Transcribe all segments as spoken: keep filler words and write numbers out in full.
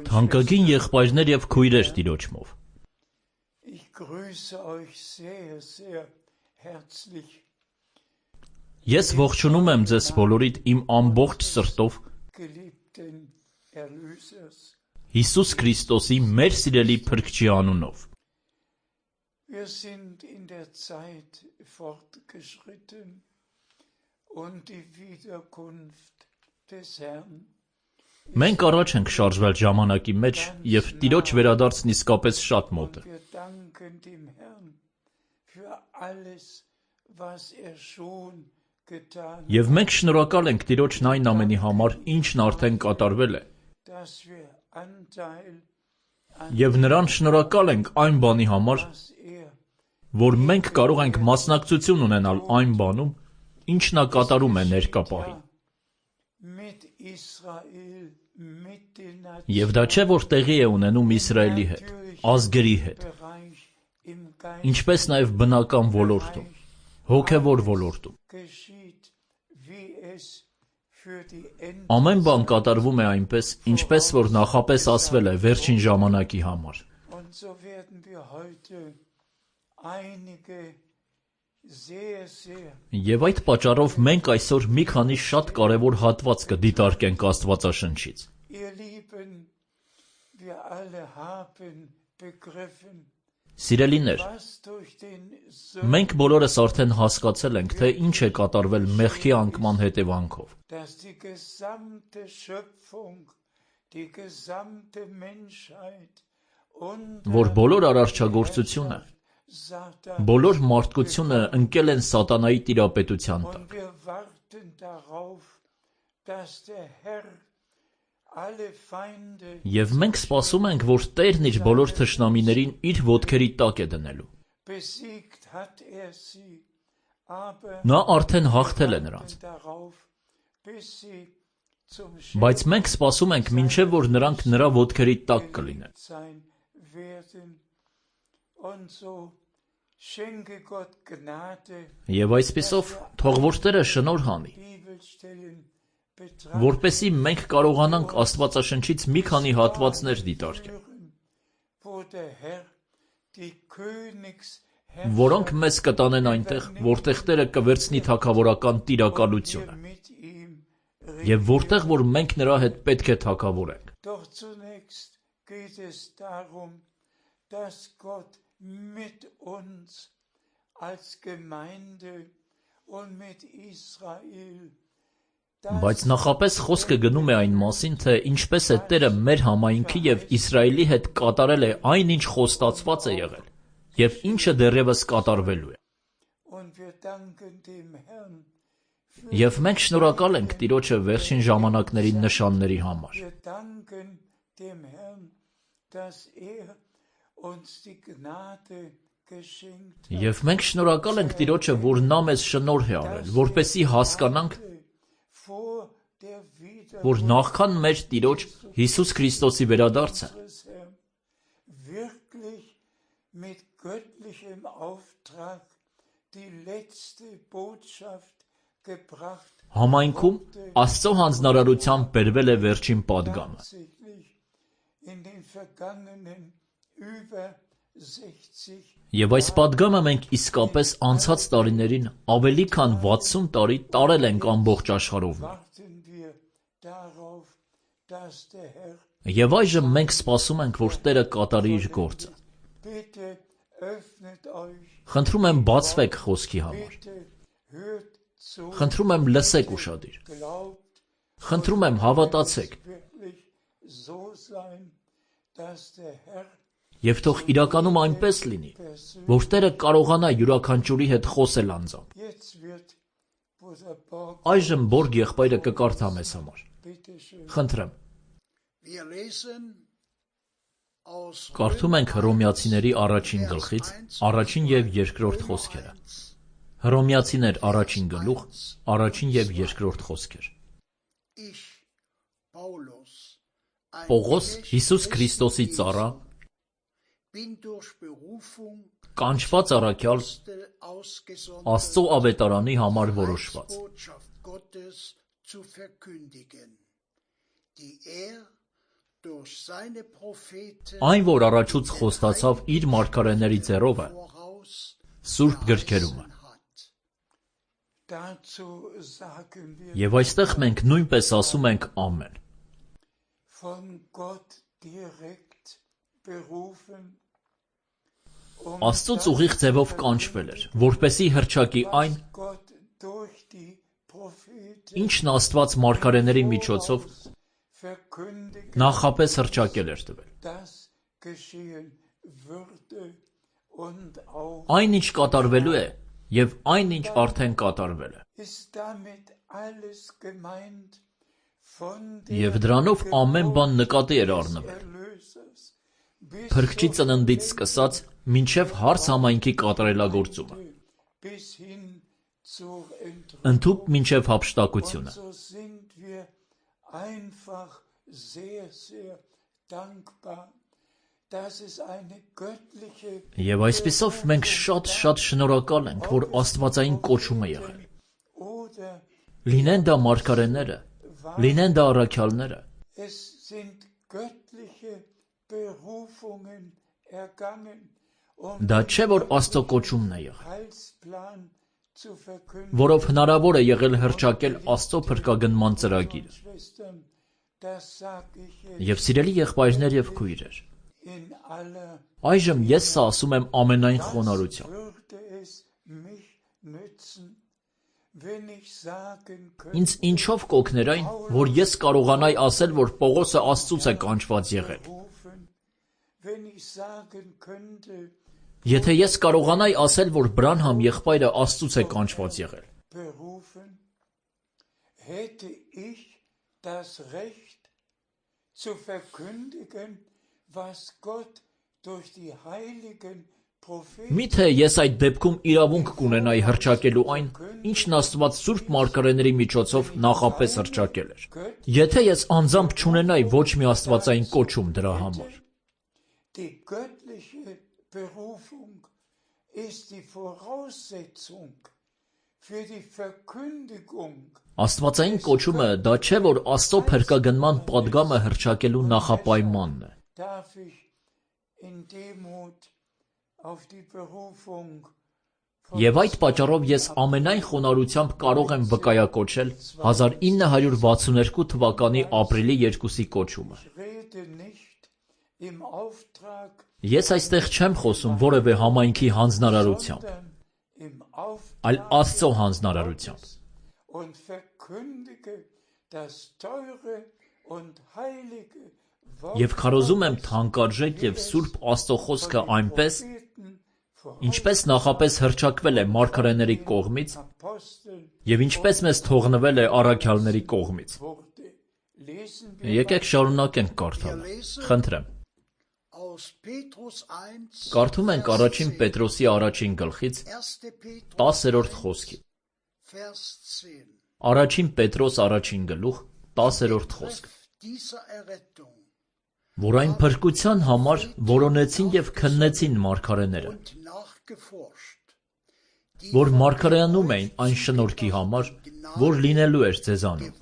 Թանկագին եղբայրներ և քույրեր Տիրոջմով, ես ողջունում եմ ձեզ բոլորիդ իմ ամբողջ սրտով Հիսուս Քրիստոսի մեր սիրելի Փրկչի անունով։ Մենք առաջ ենք շարժվել ժամանակի մեջ, և Տիրոջ վերադարձն իսկապես շատ մոտ է։ Եվ մենք շնորհակալ ենք Տիրոջն այն ամենի համար, ինչն արդեն կատարվել է, և Նրան շնորհակալ ենք այն բանի համար, որ մենք կարող ենք մասնակցություն ունենալ այն բանում, ինչ Նա կատարում է ներկա պահին։ Եվ դա չէ, որ տեղի է ունենում Իսրայելի հետ, ազգերի հետ, ինչպես նաև բնական ոլորտում, հոգևոր ոլորտում։ Ամեն բան կատարվում է այնպես, ինչպես որ նախապես ասվել է վերջին ժամանակի համար։ Եվ այդ պատճառով մենք այսօր մի քանի շատ կարևոր հատված կդիտարկենք Աստվածաշնչից։ Սիրելիներ, մենք բոլորս արդեն հասկացել ենք, թե ինչ է կատարվել մեղքի անկման հետևանքով։ Որ բոլոր արարչագործությունը, բոլոր մարդկությունը ընկել են սատանայի տիրապետության տակ։ Եվ մենք սպասում ենք, որ Տերն իր բոլոր թշնամիներին իր ոտքերի տակ է դնելու։ Նա արդեն հաղթել է նրանց։ Բայց մենք սպասում ենք, մինչև որ նրանք նրա ոտքերի տակ կլինեն։ Եվ այսպիսով, թող որ Տերը շնորհ անի, որպեսզի մենք կարողանանք Աստվածաշնչից մի քանի հատվածներ դիտարկել, որոնք մեզ կտանեն այնտեղ, որտեղ Տերը կվերցնի թագավորական տիրակալությունը, և որտեղ որ մենք նրա հետ պետք է թագավորենք։ Բայց նախապես խոսքը գնում է այն մասին, թե ինչպես է Տերը մեր համայնքի և Իսրայելի հետ կատարել է այն, ինչ խոստացված է եղել, և ինչը դեռևս կատարվելու է։ Եվ մենք շնորհակալ ենք Տիրոջը վերջին ժամանակների նշանների համար։ Եվ մենք շնորհակալ ենք Տիրոջը, որ Նա մեզ շնորհ է արել, որպեսզի հասկանանք, որ նախքան մեր Տիրոջ Հիսուս Քրիստոսի վերադարձը համայնքում Աստծո հանձնարարությամբ բերվել է վերջին պատգամը։ Եվ այս պատգամը մենք իսկապես անցած տարիներին ավելի քան վաթսուն տարի տարել ենք ամբողջ աշխարհով։ Եվ այժմ մենք սպասում ենք, որ Տերը կատարի իր գործը։ Խնդրում եմ բացվեք խոսքի համար։ Խնդրում եմ լսեք ուշադիր։ Խնդրում եմ հավատացեք։ Եվ թող իրականում այնպես լինի, որ Տերը կարողանա յուրաքանչյուրի հետ խոսել անձամբ։ Այժմ Բորգ եղբայրը կկարդա մեզ համար։ Խնդրեմ։ Կարդում ենք Հռոմեացիների առաջին գլխից առաջին և երկրորդ խոսքերը։ Հռոմեացիներ առաջին գլուխ, առաջին և երկրորդ խոսքեր։ Պողոս, Հիսուս Քրիստոսի ծառա, կանչված առաքյալ, Աստծո ավետարանի համար որոշված։ Այն, որ առաջուց խոստացավ իր մարգարեների ձեռով է, Սուրբ գրքերում է։ Եվ այստեղ մենք նույնպես ասում ենք ամեն։ Աստծուց ուղիղ ձևով կանչվել էր, որպեսզի հռչակի այն, ինչն Աստված մարգարեների միջոցով նախապես հռչակել էր տվել։ Այն, ինչ կատարվելու է, և այն, ինչ արդեն կատարվել է։ Եվ դրանով ամեն բան նկատի էր առնվել, փրկչի ծննդից սկսած մինչև հարս համայնքի կատարելագործումը, ընդհուպ մինչև հափշտակությունը։ Եվ այսպիսով մենք շատ-շատ շնորհակալ ենք, որ աստվածային կոչում է եղել։ Լինեն դա մարգարեները, լինեն դա առաքյալները։ Դա չէ, որ Աստծո կոչումն է եղել, որով հնարավոր է եղել հռչակել Աստծո փրկագնման ծրագիրը։ Եվ սիրելի եղբայրներ և քույրեր, այժմ ես սա ասում եմ ամենայն խոնարհությամբ։ Ինձ ինչով կօգներ այն, որ ես կարողանայի ասել, որ Պողոսը Աստծուց է կանչված եղել։ Եթե ես կարողանայի ասել, որ Բրանհամ եղբայրը Աստծուց է կանչված եղել։ Միթե ես այդ դեպքում իրավունք կունենայի հռչակելու այն, ինչն Աստված սուրբ մարգարեների միջոցով նախապես հռչակել էր, եթե ես անձամբ չունենայի ոչ մի աստվածային կոչում դրա համար։ Աստվածային կոչումը դա չէ, որ Աստծո փրկագնման պատգամը հռչակելու նախապայմանն է։ Եվ այդ պատճառով ես ամենայն խոնարհությամբ կարող եմ վկայակոչել հազար ինը հարյուր վաթսուններկու թվականի ապրիլի երկուսի կոչումը։ Ես այստեղ չեմ խոսում որևէ համայնքի հանձնարարությամբ, այլ Աստծո հանձնարարությամբ։ Եվ քարոզում եմ թանկարժեք և սուրբ Աստծո խոսքը այնպես, ինչպես նախապես հռչակվել է մարգարեների կողմից և ինչպես մեզ թողնվել է առաքյալների կողմից։ Եկեք շարունակենք կարդալը, խնդրեմ։ Կարդում ենք առաջին Պետրոսի առաջին գլխից տասերորդ խոսքի։ Առաջին Պետրոս առաջին գլուխ տասերորդ խոսք։ Որ այն փրկության համար որոնեցին և քննեցին մարգարեները, որ մարգարեանում էին այն շնորհքի համար, որ լինելու էր ձեզանում։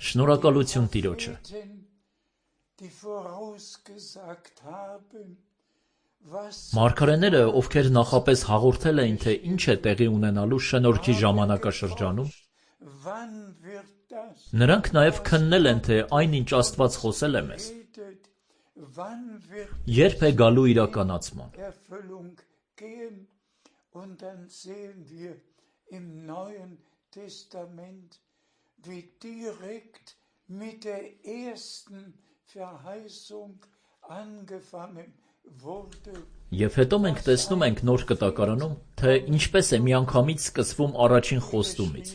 Շնորհակալություն Տիրոջը։ Մարգարեները, ովքեր նախապես հաղորդել էին, թե ինչ է տեղի ունենալու շնորհքի ժամանակաշրջանում, նրանք նաև քննել են, թե այն, ինչ Աստված խոսել է մեզ, երբ է գալու իրականացման։ Եվ հետո մենք տեսնում ենք Նոր Կտակարանում, թե ինչպես է միանգամից սկսվում առաջին խոստումից,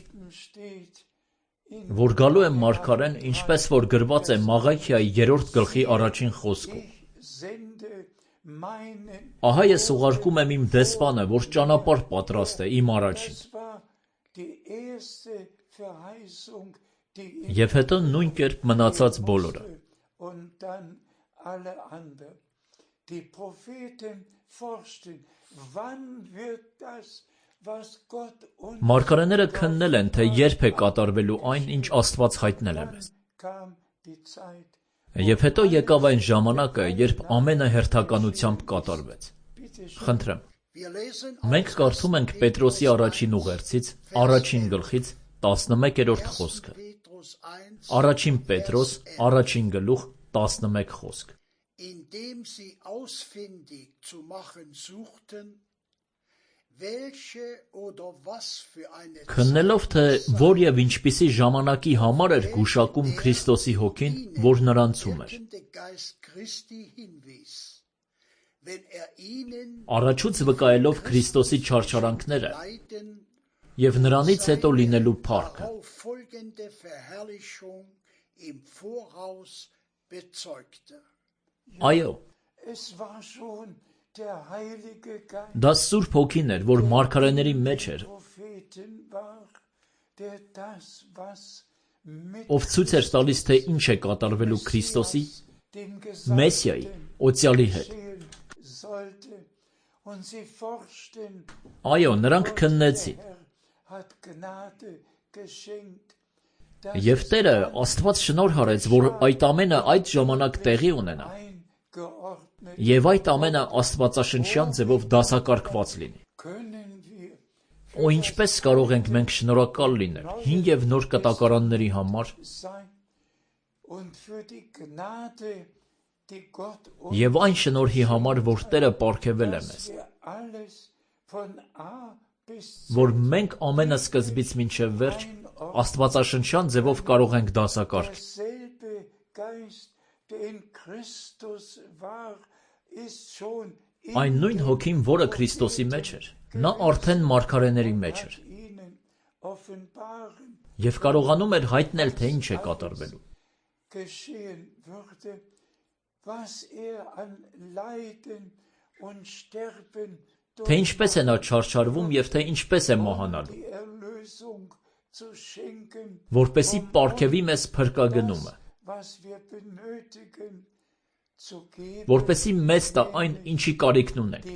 որ գալու է մարգարեն, ինչպես որ գրված է Մաղաքիայի երրորդ գլխի առաջին խոսքում. «Ահա ես ուղարկում եմ իմ դեսպանը, որ ճանապարհ պատրաստե իմ առաջին»։ Եվ հետո նույն կերպ մնացած բոլորը։ Մարգարեները քննել են, թե երբ է կատարվելու այն, ինչ Աստված հայտնել է մեզ։ Եվ հետո եկավ այն ժամանակը, երբ ամենը հերթականությամբ կատարվեց։ Խնդրեմ։ Մենք կարդում ենք Պետրոսի առաջին ուղերձից, առաջին գլխից, տասնմեկերորդ խոսքը։ Առաջին Պետրոս, առաջին գլուխ, տասնմեկ խոսք։ Քննելով, թե որ և ինչպիսի ժամանակի համար էր գուշակում Քրիստոսի հոգին, որ նրանցում էր։ Առաջուց վկայելով Քրիստոսի չարչարանքները և նրանից հետո լինելու փառքը։ Այո, դա Սուրբ Հոգին էր, որ մարգարեների մեջ էր, ով ցույց էր տալիս, թե ինչ է կատարվելու Քրիստոսի, Մեսիայի, օծյալի հետ։ Այո, նրանք քննեցին։ Եվ Տերը Աստված շնորհ արեց, որ այդ ամենը այդ ժամանակ տեղի ունենա, և այդ ամենը աստվածաշնչյան ձևով դասակարգված լինի։ Ու ինչպես կարող ենք մենք շնորհակալ լինել հին և նոր կտակարանների համար և այն շնորհի համար, որ Տերը պարգևել է մեզ, որ մենք ամենը սկզբից մինչև վերջ աստվածաշնչյան ձևով կարող ենք դասակարգել։ Այն նույն Հոգին, որը Քրիստոսի մեջ էր, նա արդեն մարգարեների մեջ էր և կարողանում էր հայտնել, թե ինչ է կատարվելու։ Թե ինչպես է նա չարչարվում և թե ինչպես է մահանալու, որպեսզի պարգևի մեզ փրկագնումը, որպեսզի մեզ տա այն, ինչի կարիքն ունենք,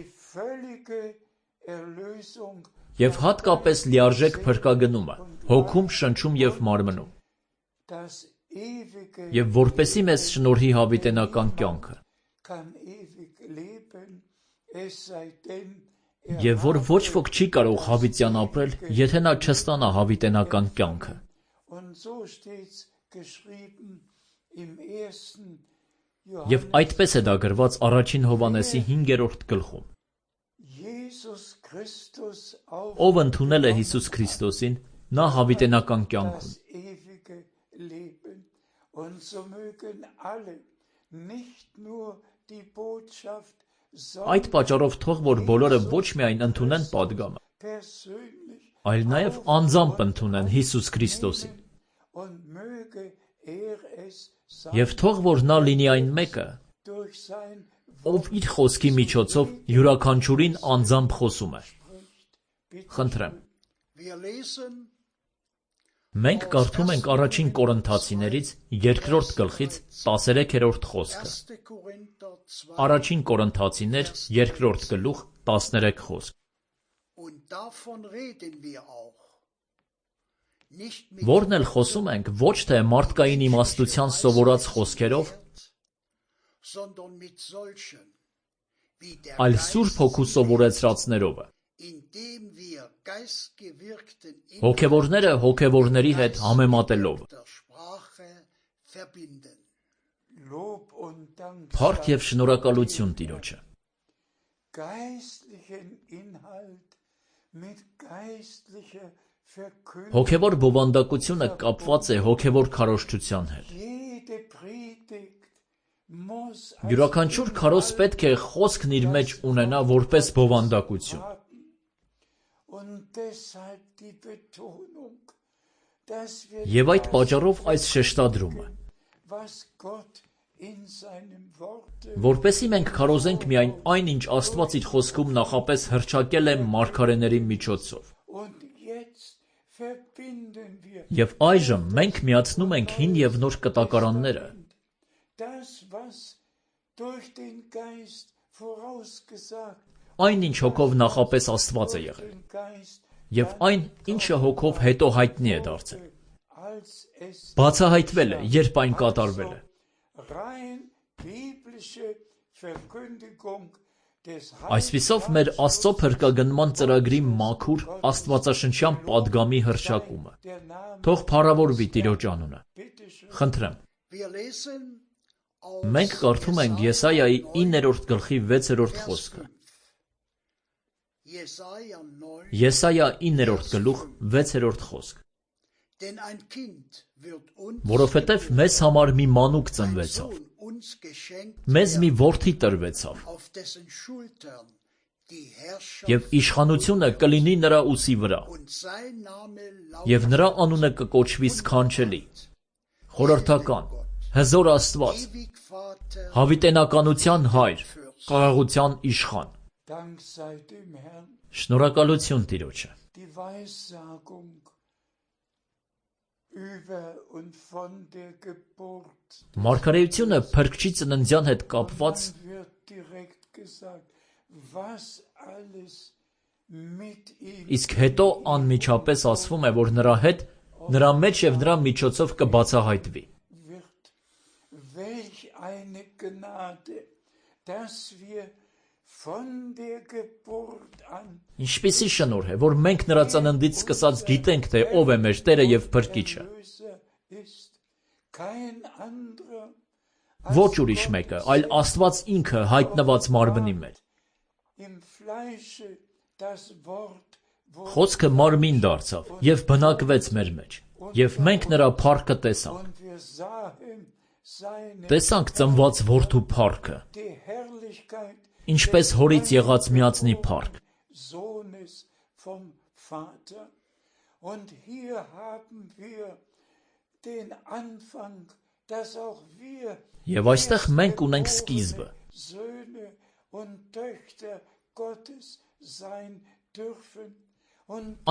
և հատկապես լիարժեք փրկագնումը, հոգում, շնչում և մարմնում, և որպեսզի մեզ շնորհի հավիտենական կյանքը, և որ ոչ ոք չի կարող հավիտյան ապրել, եթե նա չստանա հավիտենական կյանքը։ Եվ այդպես է դա գրված առաջին Հովհաննեսի հինգերորդ գլխում։ Ով ընդունել է Հիսուս Քրիստոսին, նա հավիտենական կյանք ունի։ Այդ պատճառով թող որ բոլորը ոչ միայն ընդունեն պատգամը, այլ նաև անձամբ ընդունեն Հիսուս Քրիստոսին։ Եվ թող որ նա լինի այն մեկը, ով իր խոսքի միջոցով յուրաքանչյուրին անձամբ խոսում է։ Խնդրեմ։ Մենք կարդում ենք առաջին Կորինթացիներից երկրորդ գլխից տասներեքերորդ խոսքը։ Առաջին Կորինթացիներ երկրորդ գլուխ տասներեք խոսք։ Որն էլ խոսում ենք ոչ թե մարդկային իմաստության սովորած խոսքերով, այլ Սուրբ Հոգու սովորեցրածներով է, հոգևորները հոգևորների հետ համեմատելով։ Փառք և շնորհակալություն Տիրոջը։ Հոգևոր բովանդակությունը կապված է հոգևոր քարոզչության հետ։ Յուրաքանչյուր քարոզ պետք է խոսքն իր մեջ ունենա որպես բովանդակություն։ Եվ այդ պատճառով այս շեշտադրումը, որպեսզի մենք քարոզենք միայն այն, ինչ Աստված իր խոսքում նախապես հռչակել է մարգարեների միջոցով։ Եվ այժմ մենք միացնում ենք հին և նոր կտակարանները, այն ինչ հոգով նախապես Աստված է եղել, և այն, ինչը հոգով հետո հայտնի է դարձել, բացահայտվել է, երբ այն կատարվել է։ Այսպիսով մեր Աստծո փրկագնման ծրագրի մաքուր աստվածաշնչյան պատգամի հռչակումը։ Թող փառավորվի Տիրոջ անունը։ Խնդրեմ։ Մենք կարդում ենք Եսայայի իններորդ գլխի վեցերորդ խոսքը։ Եսայա իններորդ գլուխ վեցերորդ խոսք։ Որովհետև մեզ համար մի մանուկ ծնվեցավ, մեզ մի որդի տրվեցավ, և իշխանությունը կլինի նրա ուսի վրա, և նրա անունը կկոչվի սքանչելի, խորհրդական, հզոր Աստված, հավիտենականության հայր, խաղաղության իշխան։ Շնորհակալություն Տիրոջը։ Մարգարեությունը փրկչի ծննդյան հետ կապված իսկ հետո անմիջապես ասվում է, որ նրա հետ, նրա մեջ և նրա միջոցով կբացահայտվի։ Ինչպիսի շնորհ է, որ մենք նրա ծննդից սկսած գիտենք, թե ով է մեր Տերը և Փրկիչը։ Ոչ ուրիշ մեկը, այլ Աստված ինքը հայտնված մարմնի մեջ։ Խոսքը մարմին դարձավ և բնակվեց մեր մեջ, և մենք նրա փառքը տեսանք։ Տեսանք ծնված որդու փառքը, ինչպես հորից եղած միածնի փառք։ Եվ այստեղ մենք ունենք սկիզբը։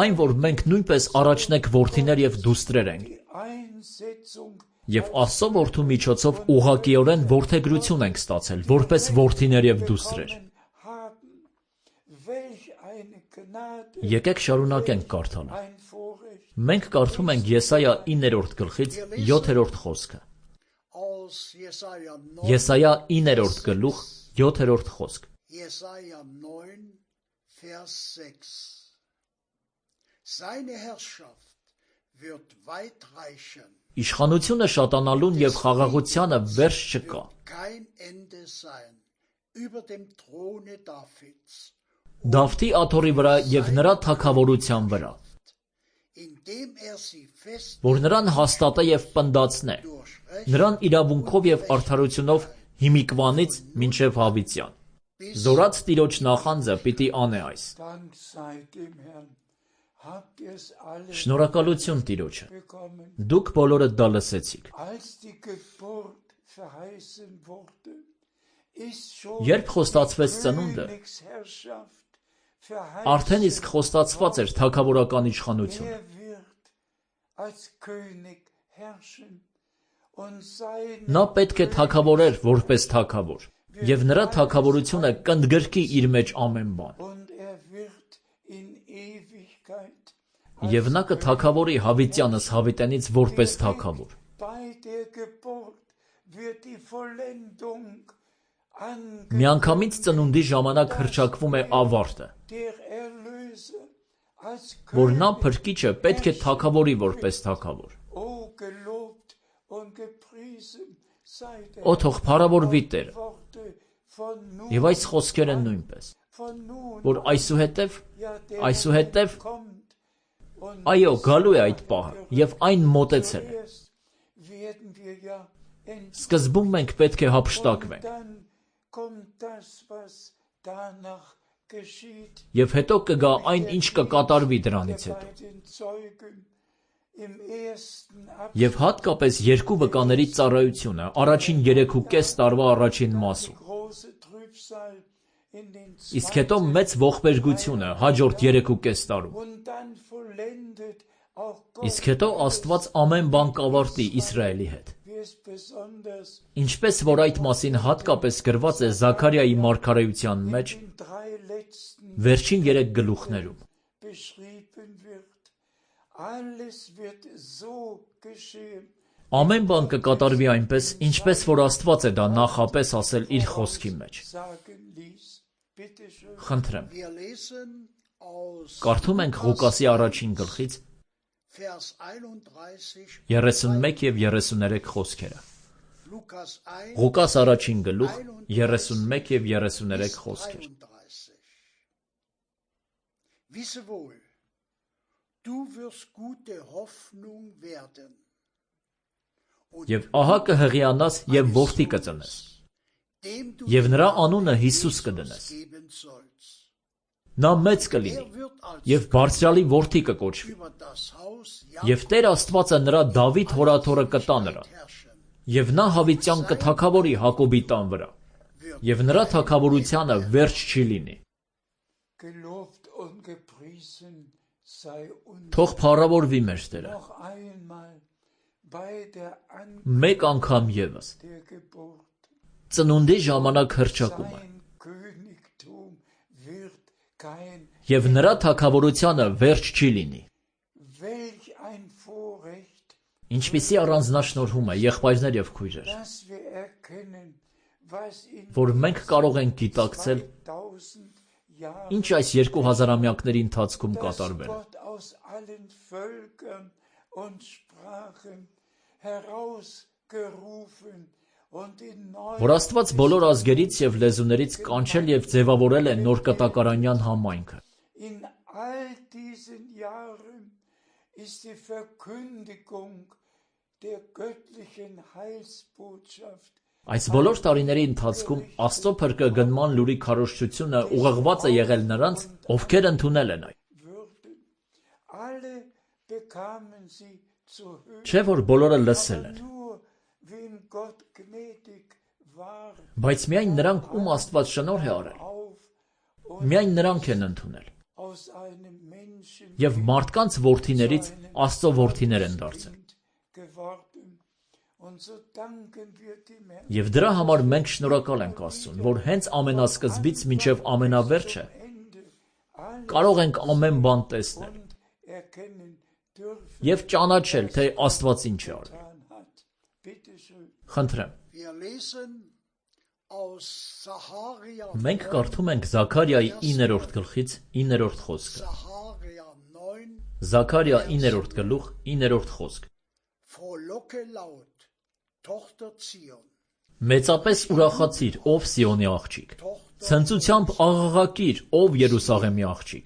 Այն, որ մենք նույնպես առաջնեկ որդիներ և դուստրեր ենք, և Աստծո որդու միջոցով ուղղակիորեն որդեգրություն ենք ստացել, որպես որդիներ և դուստրեր։ Եկեք շարունակենք կարդալը։ Մենք կարդում ենք Եսայա իններորդ գլխից յոթերորդ խոսքը։ Եսայա իններորդ գլուխ յոթերորդ խոսք։ Իշխանությունը շատանալուն և խաղաղությանը վերջ չկա։ Դավթի աթոռի վրա և նրա թագավորության վրա, որ նրան հաստատե և պնդացնե, նրան իրավունքով և արդարությունով հիմիկվանից մինչև հավիտյան։ Զորաց Տիրոջ նախանձը պիտի անե այս։ Շնորհակալություն Տիրոջը։ Դուք բոլորը դա լսեցիք։ Երբ խոստացվեց ծնունդը, արդեն իսկ խոստացված էր թագավորական իշխանությունը։ Նա պետք է թագավորեր որպես թագավոր, և նրա թագավորությունը կընդգրկի իր մեջ ամեն բան։ Եվ նա կթագավորի հավիտյանս հավիտենից որպես թագավոր։ Միանգամից ծնունդի ժամանակ հռչակվում է ավարտը, որ նա Փրկիչը պետք է թագավորի որպես թագավոր։ Օ թող փառավորվի Տերը։ Եվ այս խոսքերը նույնպես, որ այսուհետև, այսուհետև, այո, գալու է այդ պահը, և այն մոտեցել է։ Սկզբում մենք պետք է հափշտակվենք։ Եվ հետո կգա այն, ինչ կկատարվի դրանից հետո։ Եվ հատկապես երկու վկաների ծառայությունը առաջին երեքուկես տարվա առաջին մասում։ Իսկ հետո մեծ ողբերգությունը հաջորդ երեքուկես տարում։ Իսկ հետո Աստված ամեն բան կավարտի Իսրայելի հետ։ Ինչպես որ այդ մասին հատկապես գրված է Զաքարիայի մարգարեության մեջ վերջին երեք գլուխներում։ Ամեն բան կկատարվի այնպես, ինչպես որ Աստված է դա նախապես ասել իր խոսքի մեջ։ Խնդրեմ։ Կարդում ենք Ղուկասի առաջին գլխից երեսունմեկ և երեսուներեք խոսքերը։ Ղուկաս առաջին գլուխ երեսունմեկ և երեսուներեք խոսքեր։ Wisse wohl, du wirst gute Hoffnung werden. Եվ ահա կհղիանաս և որդի կծնես, և նրա անունը Հիսուս կդնես։ Նա մեծ կլինի, և բարձրալի որդի կկոչվի, և Տեր Աստվածը նրա Դավիթ հորաթորը կտա նրան, և նա հավիտյան կթագավորի Հակոբի տան վրա, և նրա թագավորությանը վերջ չի լինի։ Թող փառավորվի մեր Տերը։ Մեկ անգամ ևս ծնունդի ժամանակ հռչակում է, և նրա թագավորությանը վերջ չի լինի։ Ինչպիսի առանձնաշնորհում է, եղբայրներ և քույրեր, որ մենք կարող ենք գիտակցել, ինչ այս երկու հազարամյակների ընթացքում կատարվել է։ Որ Աստված բոլոր ազգերից և լեզուներից կանչել և ձևավորել է նոր կտակարանյան համայնքը։ Այս բոլոր տարիների ընթացքում Աստծո փրկագնման լուրի քարոզչությունը ուղղված է եղել նրանց, ովքեր ընդունել են այն։ Չէ՞ որ բոլորը լսել են, բայց միայն նրանք, ում Աստված շնորհ է արել, միայն նրանք են ընդունել, և մարդկանց որդիներից Աստծո որդիներ են դարձել։ Եվ դրա համար մենք շնորհակալ ենք Աստծուն, որ հենց ամենասկզբից մինչև ամենավերջը կարող ենք ամեն բան տեսնել և ճանաչել, թե Աստված ինչ է արել։ Խնդրեմ։ Մենք կարդում ենք Զաքարիայի իններորդ գլխից իններորդ խոսքը։ Զաքարիա իններորդ գլուխ իններորդ խոսք։ Մեծապես ուրախացիր, ով Սիոնի աղջիկ, ցնծությամբ աղաղակիր, ով Երուսաղեմի աղջիկ։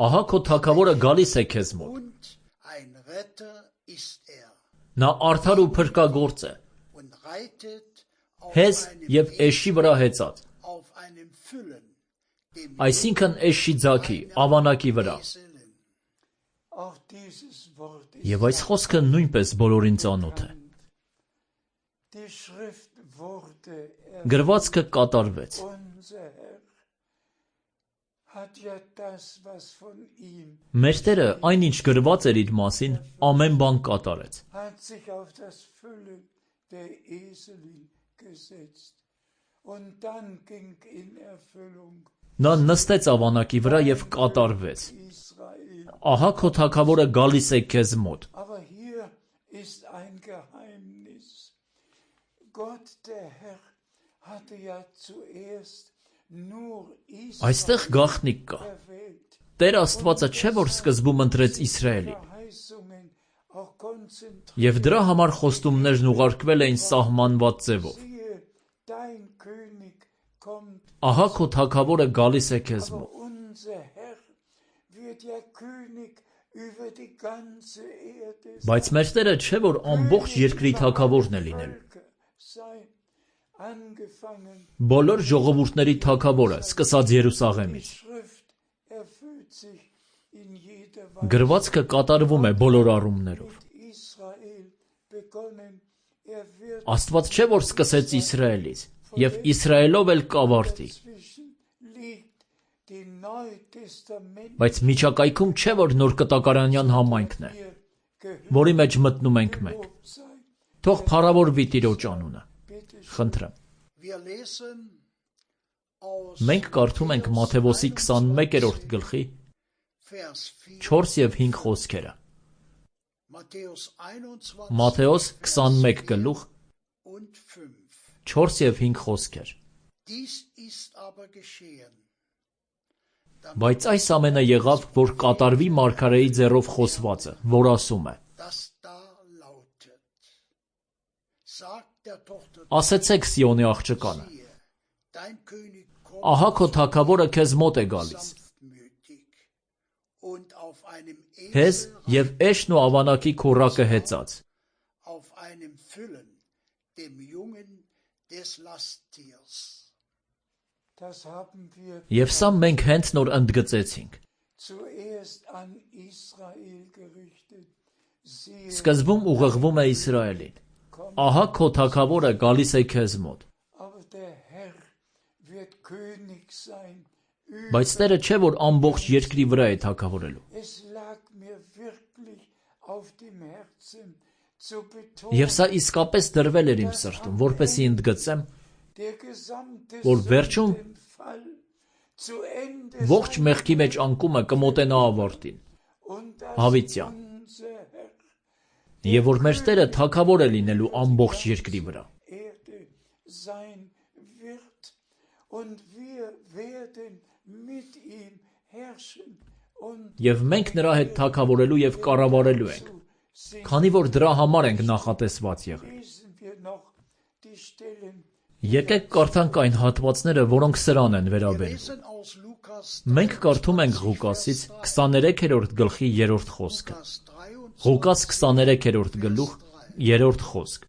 Ահա քո թագավորը գալիս է քեզ մոտ։ Նա արդար ու փրկագործ է, հեզ և էշի վրա հեծած, այսինքն էշի ձագի, ավանակի վրա։ Եվ այս խոսքը նույնպես բոլորին ծանոթ է։ Գրվածքը կատարվեց։ Մեր Տերը այն, ինչ գրված էր իր մասին, ամեն բան կատարեց։ Նա նստեց ավանակի վրա և կատարվեց։ Ահա քո թագավորը գալիս է քեզ մոտ։ Այստեղ գաղտնիք կա։ Տեր Աստվածը չէ, որ սկզբում ընտրեց Իսրայելին, և դրա համար խոստումներն ուղարկվել էին սահմանված ձևով։ Ահա քո թագավորը գալիս է քեզ մոտ։ Բայց մեր Տերը չէ, որ ամբողջ երկրի թագավորն է լինելու։ Բոլոր ժողովուրդների թագավորը, սկսած Երուսաղեմից։ Գրվածքը կատարվում է բոլոր առումներով։ Աստված չէ, որ սկսեց Իսրայելից, և Իսրայելով էլ կավարտի։ Բայց միջակայքում չէ, որ նոր կտակարանյան համայնքն է, որի մեջ մտնում ենք մենք։ Թող փառավորվի Տիրոջ անունը։ Խնդրեմ։ Մենք կարդում ենք Մատթեոսի քսանմեկերորդ գլխի չորս և հինգ խոսքերը։ Մատթեոս քսանմեկ գլուխ չորս և հինգ խոսքեր։ Բայց այս ամենը եղավ, որ կատարվի մարգարեի ձեռով խոսվածը, որ ասում է. ասեցեք Սիոնի աղջկանը. ահա քո թագավորը քեզ մոտ է գալիս, հեզ և էշն ու ավանակի քոռակը հեծած։ Եվ սա մենք հենց նոր ընդգծեցինք։ Սկզբում ուղղվում է Իսրայելին. ահա քո թագավորը գալիս է քեզ մոտ։ Բայց Տերը չէ, որ ամբողջ երկրի վրա է թագավորելու։ Եվ սա իսկապես դրվել էր իմ սրտում, որպեսզի ընդգծեմ, որ վերջում ողջ մեղքի մեջ անկումը կմոտենա ավարտին, հավիտյան, և որ մեր Տերը թագավոր է լինելու ամբողջ երկրի վրա։ Եվ մենք նրա հետ թագավորելու և կառավարելու ենք, քանի որ դրա համար ենք նախատեսված եղել։ Եկեք կարդանք այն հատվածները, որոնք սրան են վերաբերում։ Մենք կարդում ենք Ղուկասից քսաներեքերորդ գլխի երրորդ խոսքը։ Ղուկաս քսաներեքերորդ գլուխ երրորդ խոսք։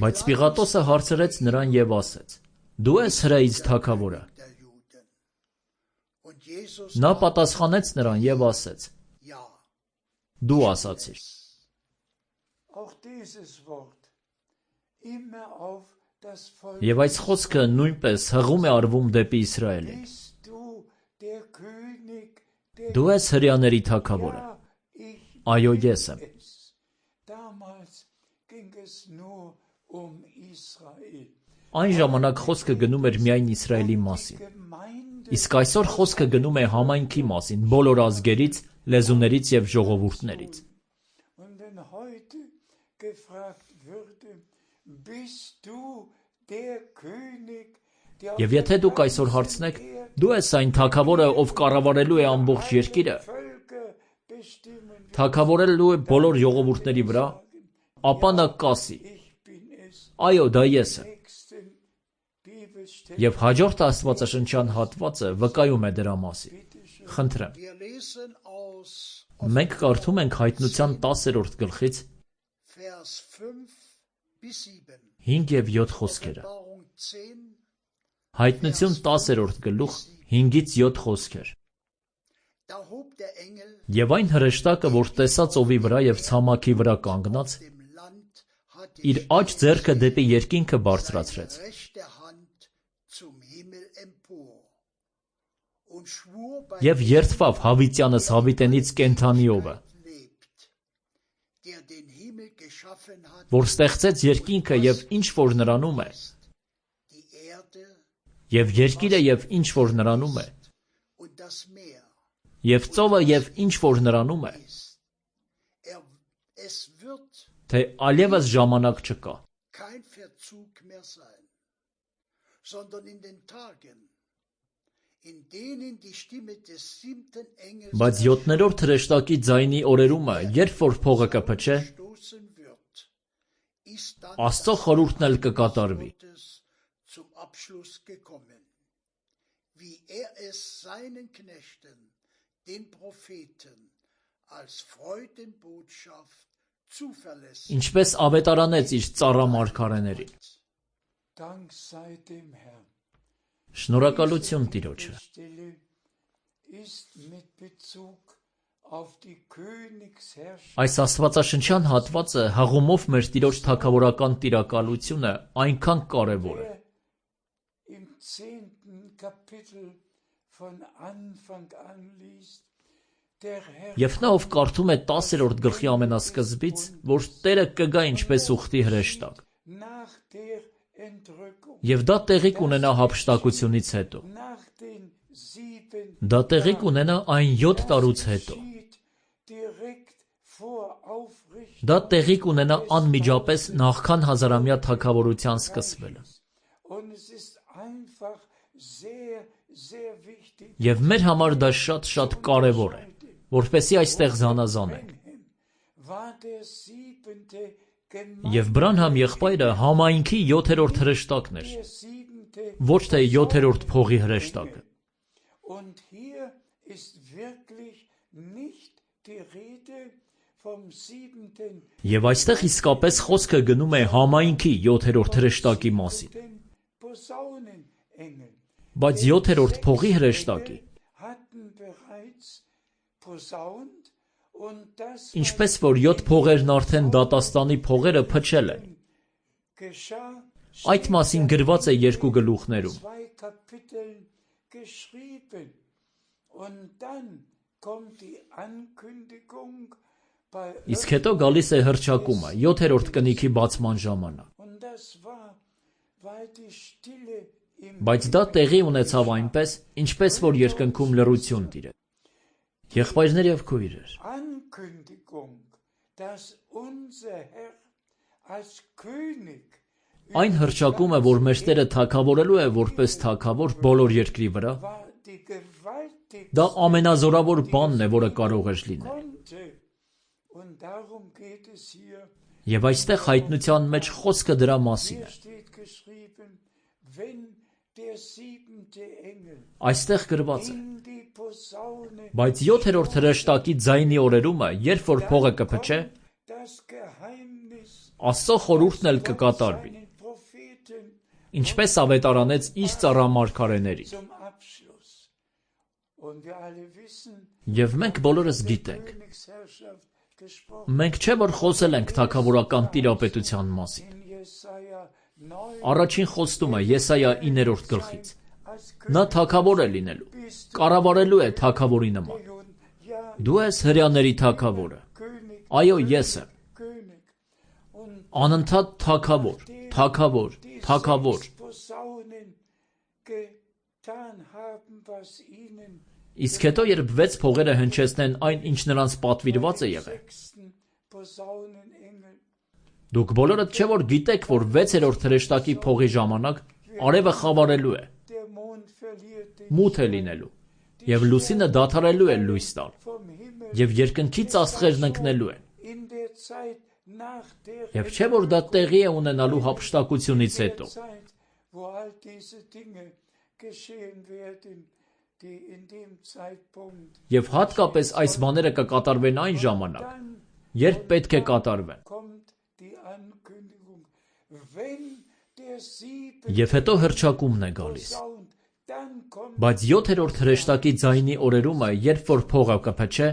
Բայց Պիղատոսը հարցրեց նրան և ասեց. դու ես հրեից թագավորը։ Նա պատասխանեց նրան և ասեց. դու ասացիր։ Եվ այս խոսքը նույնպես հղում է արվում դեպի Իսրայելին. դու ես հրեաների թագավորը։ Այո, ես եմ։ Այն ժամանակ խոսքը գնում էր միայն Իսրայելի մասին։ Իսկ այսօր խոսքը գնում է համայնքի մասին, բոլոր ազգերից, լեզուներից և ժողովուրդներից։ Եվ եթե դուք այսօր հարցնեք, դու ես այն թագավորը, ով կառավարելու է ամբողջ երկիրը, թագավորելու է բոլոր ժողովուրդների վրա, ապա նա կասի. այո, դա ես եմ։ Եվ հաջորդ աստվածաշնչյան հատվածը վկայում է դրա մասին։ Խնդրեմ։ Մենք կարդում ենք Հայտնության տասերորդ գլխից հինգ և յոթ խոսքերը։ Հայտնություն տասերորդ գլուխ հինգից յոթ խոսքեր։ Եվ այն հրեշտակը, որ տեսա ծովի վրա և ցամաքի վրա կանգնած, իր աջ ձեռքը դեպի երկինքը բարձրացրեց և երդվավ հավիտյանս հավիտենից կենդանիովը, որ ստեղծեց երկինքը և ինչ որ նրանում է, և երկիրը և ինչ որ նրանում է, և ծովը և ինչ որ նրանում է, թե այլևս ժամանակ չկա։ Բայց յոթներորդ հրեշտակի ձայնի օրերումը, երբ որ փողը կփչե, Աստծո խորհուրդն էլ կկատարվի։ Ինչպես ավետարանեց իր ծառա մարգարեներին։ Շնորհակալություն Տիրոջը։ Այս աստվածաշնչյան հատվածը հղումով մեր Տիրոջ թագավորական տիրակալությունը այնքան կարևոր է։ Եվ նա ով կարդում է տասերորդ գլխի ամենասկզբից, որ Տերը կգա ինչպես ուխտի հրեշտակ։ Եվ դա տեղի կունենա հափշտակությունից հետո։ Դա տեղի կունենա այն յոթ տարուց հետո։ Դա տեղի կունենա անմիջապես նախքան հազարամյա թագավորության սկսվելը։ Եվ մեր համար դա շատ-շատ կարևոր է, որպեսզի այստեղ զանազանենք։ Եվ Բրանհամ եղբայրը համայնքի յոթերորդ հրեշտակն էր, ոչ թե յոթերորդ փողի հրեշտակը։ Եվ այստեղ իսկապես խոսքը գնում է համայնքի յոթերորդ հրեշտակի մասին։ Բայց յոթերորդ փողի հրեշտակի, ինչպես որ յոթ փողերն արդեն դատաստանի փողերը փչել են, այդ մասին գրված է երկու գլուխներում։ Իսկ հետո գալիս է հռչակումը յոթերորդ կնիքի բացման ժամանակ։ Բայց դա տեղի ունեցավ այնպես, ինչպես որ երկնքում լռություն տիրեց։ Եղբայրներ և քույրեր, այն հռչակումը, որ մեր Տերը թագավորելու է որպես թագավոր բոլոր երկրի վրա, դա ամենազորավոր բանն է, որը կարող էր լինել։ Եվ այստեղ հայտնության մեջ խոսքը դրա մասին է։ Այստեղ գրված է. բայց յոթերորդ հրեշտակի ձայնի օրերումը, երբ որ փողը կփչե, Աստծո խորհուրդն էլ կկատարվի, ինչպես ավետարանեց իր ծառա մարգարեներին։ Եվ մենք բոլորս գիտենք, մենք չէ որ խոսել ենք թագավորական տիրապետության մասին։ Առաջին խոստումը Եսայա իններորդ գլխից։ Նա թագավոր է լինելու, կառավարելու է թագավորի նման։ Դու ես հրեաների թագավորը։ Այո, ես եմ։ Անընդհատ թագավոր, թագավոր, թագավոր։ Իսկ հետո երբ վեց փողերը հնչեցնեն այն, ինչ նրանց պատվիրված է եղել։ Դուք բոլորդ չէ որ գիտեք, որ վեցերորդ հրեշտակի փողի ժամանակ արևը խավարելու է, մութ է լինելու, եւ լուսինը դադարելու է լույս տալ, եւ երկնքից աստղերն ընկնելու են։ Եվ չէ որ դա տեղի է ունենալու հափշտակությունից հետո։ Եվ հատկապես այս բաները կկատարվեն այն ժամանակ, երբ պետք է կատարվեն։ Եվ հետո հռչակումն է գալիս։ Բայց յոթերորդ հրեշտակի ձայնի օրերումը, երբ որ փողը կփչե,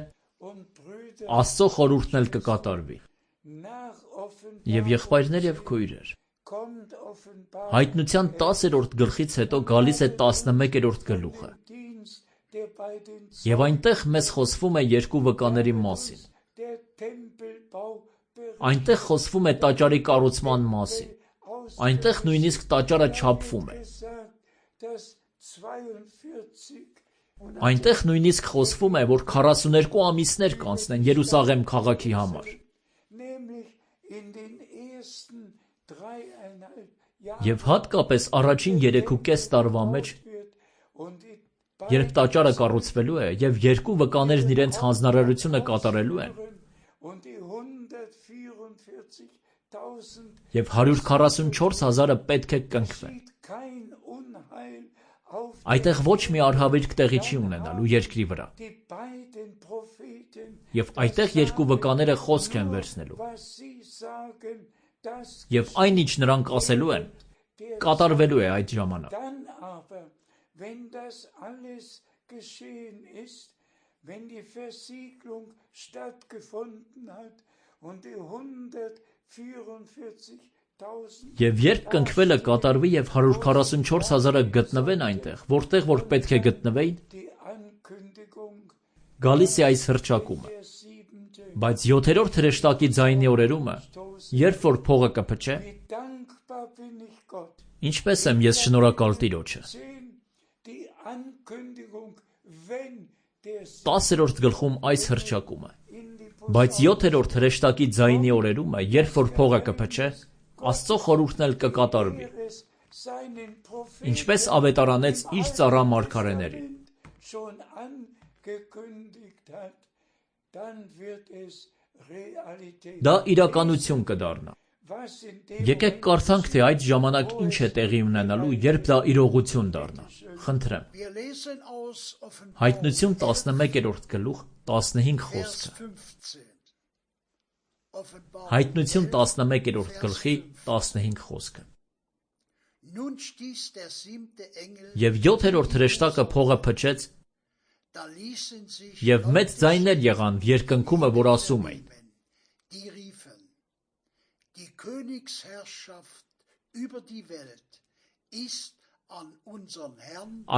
Աստծո խորհուրդն էլ կկատարվի։ Եվ եղբայրներ և քույրեր, հայտնության տասերորդ գլխից հետո գալիս է տասնմեկերորդ գլուխը։ Եվ այնտեղ մեզ խոսվում է երկու վկաների մասին։ Այնտեղ խոսվում է տաճարի կառուցման մասին։ Այնտեղ նույնիսկ տաճարը չափվում է։ Այնտեղ նույնիսկ խոսվում է, որ քառասուներկու ամիսներ կանցնեն Երուսաղեմ քաղաքի համար։ Եվ հատկապես առաջին երեքուկես տարվա մեջ, երբ տաճարը կառուցվելու է և երկու վկաներն իրենց հանձնարարությունը կատարելու են, և հարյուր քառասունչորս հազարը պետք է կնքվեն։ Այդտեղ ոչ մի արհավիրք տեղի չի ունենալու երկրի վրա։ Եվ այդտեղ երկու վկաները խոսք են վերցնելու։ Եվ այն, ինչ նրանք ասելու են, կատարվելու է այդ ժամանակ։ Եվ երբ կնքվելը կատարվի և հարյուր քառասունչորս հազարը գտնվեն այնտեղ, որտեղ որ պետք է գտնվեին, գալիս է այս հռչակումը. բայց յոթերորդ հրեշտակի ձայնի օրերումը, երբ որ փողը կփչե, ինչպես եմ ես շնորհակալ Տիրոջը։ տասերորդ գլխում այս հռչակումը. բայց յոթերորդ հրեշտակի ձայնի օրերումը, երբ որ փողը կփչե, Աստծո խորհուրդն էլ կկատարվի, ինչպես ավետարանեց իր ծառա մարգարեներին։ Դա իրականություն կդառնա։ Եկեք կարդանք, թե այդ ժամանակ ինչ է տեղի ունենալու, երբ դա իրողություն դառնա։ Խնդրեմ։ Հայտնություն տասնմեկերորդ գլուխ տասնհինգ խոսքը։ Հայտնություն տասնմեկերորդ գլխի տասնհինգ խոսքը։ Եվ յոթերորդ հրեշտակը փողը փչեց, և մեծ ձայներ եղան երկնքումը, որ ասում էին.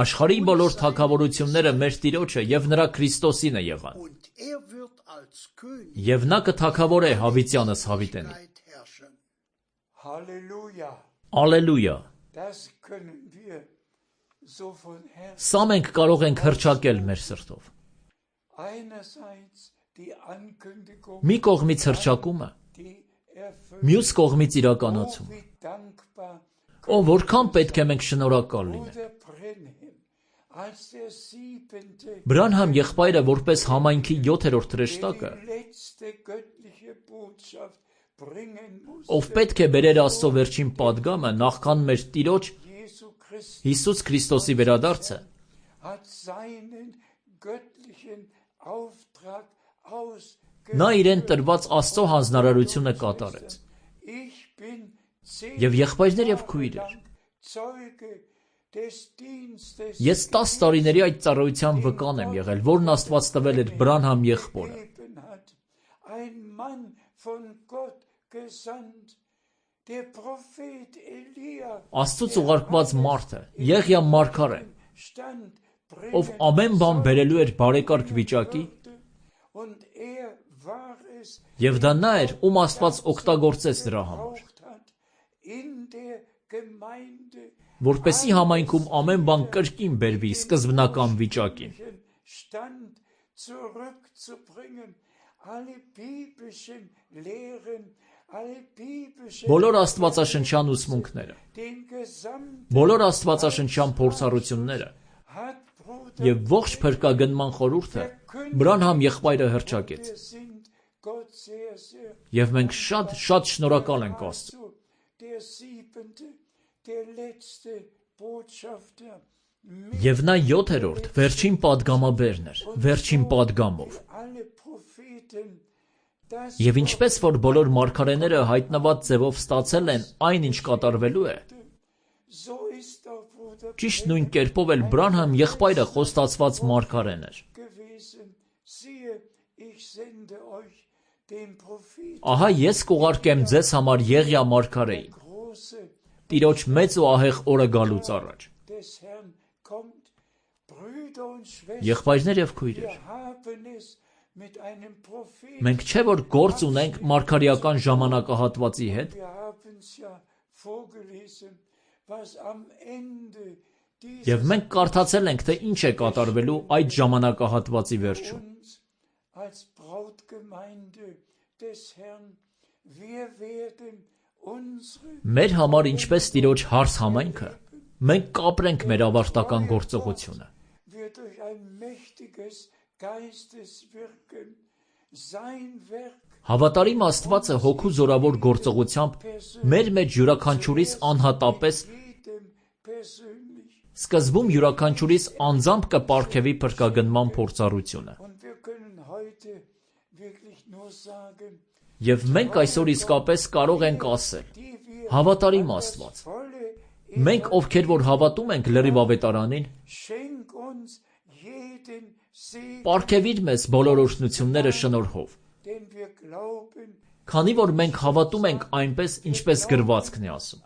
աշխարհի բոլոր թագավորությունները մեր Տիրոջը և նրա Քրիստոսին է եղան, և նա կթագավորե հավիտյանս հավիտենի։ Ալելույա։ Սա մենք կարող ենք հռչակել մեր սրտով։ Մի կողմից հռչակումը, մյուս կողմից իրականացումը։ Օ, որքան պետք է մենք շնորհակալ լինենք։ Բրանհամ եղբայրը, որպես համայնքի յոթերորդ հրեշտակը, ով պետք է բերեր Աստծո վերջին պատգամը նախքան մեր Տիրոջ Հիսուս Քրիստոսի վերադարձը, նա իրեն տրված Աստծո հանձնարարությունը կատարեց։ Եվ եղբայրներ և քույրեր, ես տաս տարիների այդ ծառայության վկան եմ եղել, որն Աստված տվել էր Բրանհամ եղբորը։ Աստծուց ուղարկված մարդը, Եղիա մարգարեն, ով ամեն բան բերելու էր բարեկարգ վիճակի, և դա նա էր, ում Աստված օգտագործեց դրա համար, որպեսզի համայնքում ամեն բան կրկին բերվի սկզբնական վիճակին։ Բոլոր աստվածաշնչյան ուսմունքները, բոլոր աստվածաշնչյան փորձառությունները և ողջ փրկագնման խորհուրդը Բրանհամ եղբայրը հռչակեց։ Եվ մենք շատ շատ շնորհակալ ենք Աստծուն։ Եվ նա յոթերորդ վերջին պատգամաբերն էր, վերջին պատգամով։ Եվ ինչպես որ բոլոր մարգարեները հայտնված ձևով ստացել են այն, ինչ կատարվելու է, ճիշտ նույն կերպով էլ Բրանհամ եղբայրը խոստացված մարգարեն էր։ Ահա ես կուղարկեմ ձեզ համար Եղիա մարգարեին, Տիրոջ մեծ ու ահեղ օրը գալուց առաջ։ Եղբայրներ և քույրեր, մենք չէ՞ որ գործ ունենք մարգարեական ժամանակահատվածի հետ։ Եվ մենք կարդացել ենք, թե ինչ է կատարվելու այդ ժամանակահատվածի վերջում։ Մեր համար ինչպես Տիրոջ հարս համայնքը, մենք կապրենք մեր ավարտական գործողությունը։ Հավատարիմ Աստվածը հոգու զորավոր գործողությամբ մեր մեջ յուրաքանչյուրիս անհատապես, սկզբում յուրաքանչյուրիս անձամբ կպարգևի փրկագնման փորձառությունը։ Եվ մենք այսօր իսկապես կարող ենք ասել. հավատարիմ Աստված, մենք, ովքեր որ հավատում ենք լրիվ ավետարանին, պարգևիր մեզ բոլոր օրհնությունները շնորհով, քանի որ մենք հավատում ենք այնպես, ինչպես գրվածքն է ասում։